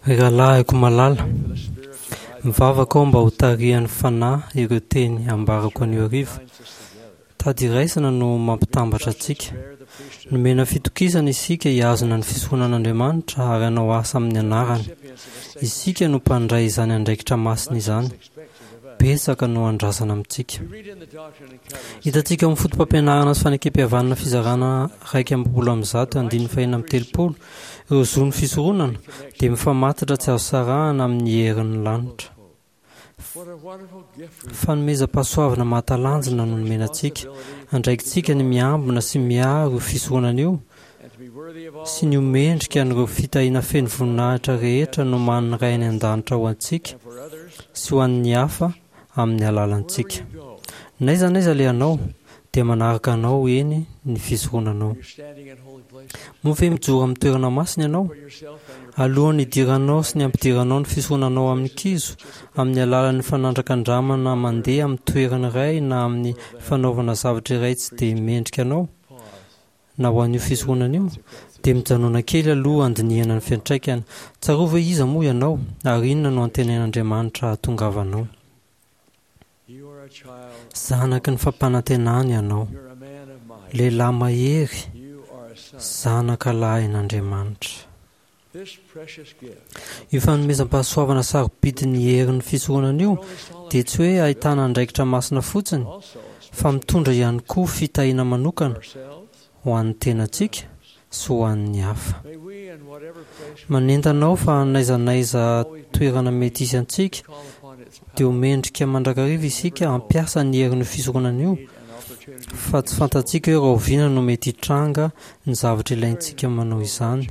Ry rahalahiko malala, mivavaka aho mba hotarihan'ny Fanahy ireo teny ambarako anio hariva. Tady iraisana no mampitambatra antsika. Nomena fitokisana isika hihazona ny fisoronan'Andriamanitra ary hanao asa amin'ny anarany. Isika no mpandray izany andraikitra masina izany. Betsaka no andrasana amintsika. Hitantsika ao amin'ny Fotopampianarana sy Fanekempihavanana fizarana 121 andininy faha-36 ireo zon'ny fisoronana dia mifamatotra tsy azo sarahana amin'ny herin'ny lanitra. Fanomezam-pahasoavana mahatalanjona no nomena antsika. Andraikitsika ny miambina sy miaro io fisoronana io sy ny ho mendrika an'ireo fitahiana feno voninahitra rehetra nomanin'ny Ray any An-danitra ho antsika sy ho an'ny hafa amin'ny alalantsika. N'aiza n'aiza alehanao, dia manaraka anao eny ny fisoronanao. Moa ve mijoro amin'ny toerana masina ianao? Alohan'ny hidiranao sy ny hampidiranao ny fisoronanao amin'ny kizo, amin'ny alalan'ny fanandrakandramana mandeha amin'ny toerana iray na amin'ny fanaovana zavatra iray tsy dia mendrika anao, na ho an'io fisoronana io, dia mijanòna kely aloha handinihana ny fiantraikany. Tsarovy hoe iza moa ianao, ary inona no antenain'Andriamanitra hahatongavanao. Zanaky ny fampanantenana ianao. Lehilahy mahery, zanaka lahin'Andriamanitra. Io fanomezam-pahasoavana sarobidin'ny herin'ny fisoronana io dia tsy hoe ahitana andraikitra masina fotsiny fa mitondra ihany koa fitahiana manokana ho an'ny tenantsika sy ho an'ny hafa. Manentana aho fa n'aiza n'aiza toerana mety hisy antsika dia ho mendrika mandrakariva isika hampiasa ny herin'io fisoronana io fa tsy fantatsika hoe rahoviana no mety hitranga ny zavatra ilaintsika manao izany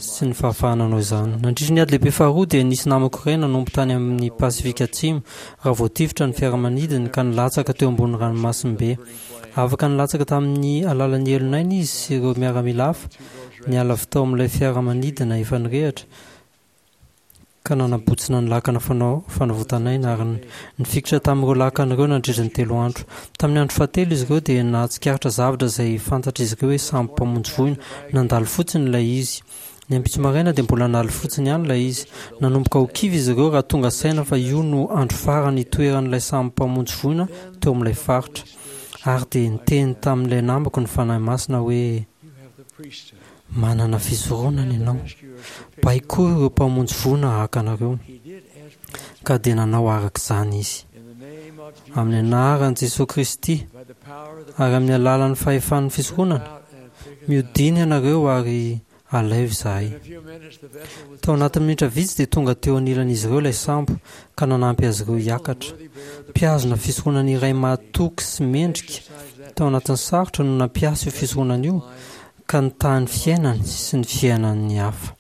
sy ny fahafahana hanao izany. Nandritra ny Ady Lehibe Faharoa dia nisy namako iray nanompo tany amin'ny Pasifika Atsimo raha voatifitra ny fiaramanidiny ka nilatsaka teo ambony ranomasimbe. Afaka nilatsaka tamin'ny alalan'ny elon'aina izy sy ireo miaramila hafa, niala avy tao amin'ilay fiaramanidina efa nirehitra, ka nanabotsina ny lakana fanao fanavotan'aina ary nifikitra tamin'ireo lakana ireo nandritra ny telo andro. Tamin'ny andro fahatelo izy ireo dia nahatsikaritra zavatra izay fantatr'izy ireo hoe sambo mpamonjy voina. Nandalo fotsiny ilay izy. Ny ampitso maraina dia mbola nandalo fotsiny ihany ilay izy. Nanomboka ho kivy izy ireo raha tonga saina fa io no andro farany hitoeran'ilay sambo mpamonjy voina teo amin'ilay faritra. Ary dia niteny tamin'ilay namako ny Fanahy Masina hoe, Manana fisoronana ianao. Baikoy ireo mpamonjy voina haka anareo. Ka dia nanao araka izany izy. Amin'ny anaran'i Jesoa Kristy ary amin'ny alalan'ny fahefan'ny fisoronana, mihodina ianareo ary alaivo izahay. Tao anatin'ny minitra vitsy dia tonga teo anilan'izy ireo ilay sambo ka nanampy azy ireo hiakatra. Mpihazona fisoronana iray mahatoky sy mendrika tao anatin'ny sarotra no nampiasa io fisoronana io ka nitaha ny fiainany sy ny fiainan'ny hafa.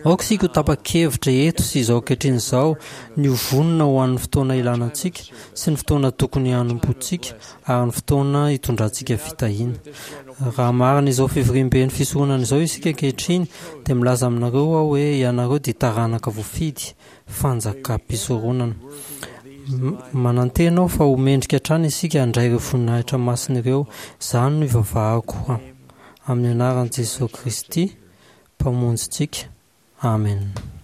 Aoka isika ho tapa-kevitra eto sy izao ankehitriny izao ny ho vonona ho an'ny fotoana ilana antsika sy ny fotoana tokony hanompoantsika ary ny fotoana hitondrantsika fitahiana. Raha marina izao fivoriamben'ny fisoronana izao isika ankehitriny dia milaza aminareo aho hoe ianareo dia taranaka voafidy, fanjakam-pisoronana. Manantena aho fa ho mendrika hatrany isika handray ireo voninahitra masina ireo. Izany no ivavahako amin'ny anaran'i Jesoa Kristy, Mpamonjintsika. Amena.